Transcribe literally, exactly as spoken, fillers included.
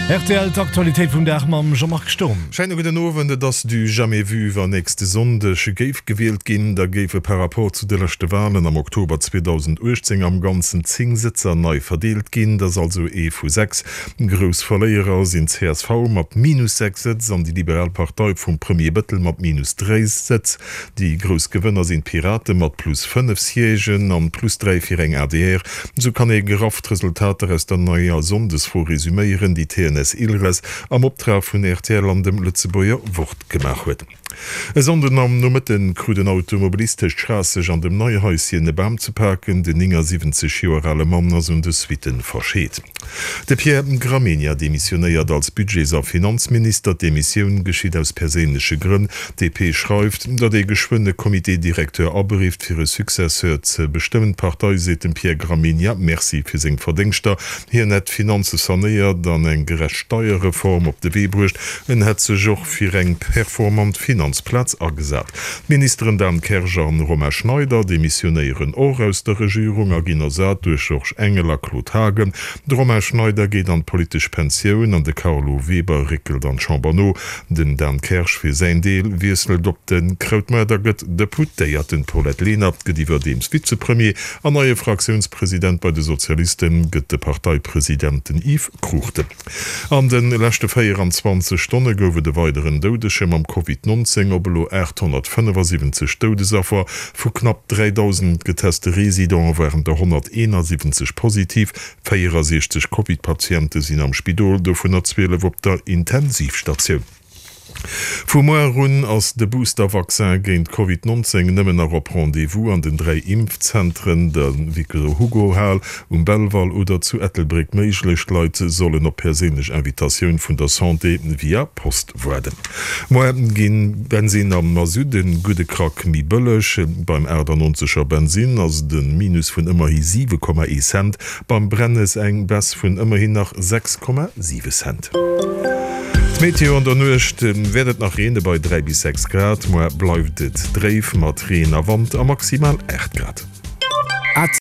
Rtl, D'Aktualitéit vum Dag mam Jean-Marc Sturm. Schéine gudden Owend. Et ass du jamais vu, Wann nächste Sonndeg géif gewielt ginn, da géife par rapport zu de leschte Walen am Oktober zweedausenduechtzéng am Ganzen zéng Sëtzer nei verdeelt ginn. Dat ass also ee vu sechs. Grouss Verléierer sinn d'C S V mat minus sechs Sëtz an déi Liberal Partei vum Premier Bettel mat minus dräi Sëtz. Déi grouss Gewënner sinn d'Pirate mat plus fënnef Siègen an plus dräi fir eng A D R. Esou kann ee graff d'Resultater aus der neier Sonndesfro resuméieren, déi T N S Ilres am Optrag vun R T L an dem Lëtzebuerger Wort gemaach huet. E Sonnden am Nomëtte krut en Automobilist tëscht Schraasseg an dem Neihaischen e Bam ze paken. Den néngasiwwenzeg Joer ale Mann ass un de Suitten verscheet. De Pierre Gramegna demissionéiert als Budgets a Finanzminister. D'Demissioun geschitt aus perséinleche Grënn. D P schreift, datt ee geschwënn e Comité directeur aberifft, fir e Successeur ze bestëmmen. D'Partei seet dem Pierre Gramegna Merci fir seng Verdéngschter. Hien hätt d'Finanze sanéiert an eng gerecht Steierreform op de Wee bruecht. En hätt sech och fir eng performant Finanzplaz agesat. D'Ministeren Dan Kersch an Romain Schneider demissionéieren och aus der Regierung a ginn ersat duerch Georges Engel a Claude Haagen. De Romain Schneider geet an d'politesch Pensioun an de Carlo Weber réckelt an d'Chamber no. Den Dan Kersch fir säin Deel wiesselt op de Krautmaart a gëtt Deputéierten. D'Paulette Lenert gëtt iwwerdeems Vizepremier an neie Fraktiounspresident bei de Sozialiste gëtt de Parteipresident, den Yves Cruchten. An de leschte véieranzwanzeg Stonne gouf et e weideren Doudege mam Covid nonzéng op elo aathonnertfënnefasiwwenzeg Doudesaffer. Vu knapp dräidausend geteste Residente waren der honnerteenasiwwenzeg positiv. Véierasiechzeg Covid-Patiente sinn am Spidol, dovunner zwielef op der Intensivstatioun. Vu muer un ass de Booster-Vaccin géint Covid nonzéng nëmmen nach op Rendez-vous an den dräi Impfzentren, der Victor-Hugo-Hal um Belval oder zu Ettelbréck méiglech. D'Leit sollen op perséinlech Invitatioun vun der Santé via Post waarden. Muer gi Bensinn a Masutt e gudde Krack méi bëlleg. Beim achtannonzeger Bensinn ass et e Minus vun ëmmerhi siwe Komma ee Cent, beim Brennes eng Baisse vun ëmmerhin nach sechs Komma siwe Cent. D'Meteo, An der Nuecht wäert et nach reene bei dräi bis sechs Grad. Muer bleift et dréif mat Reen a Wand a maximal aacht Grad.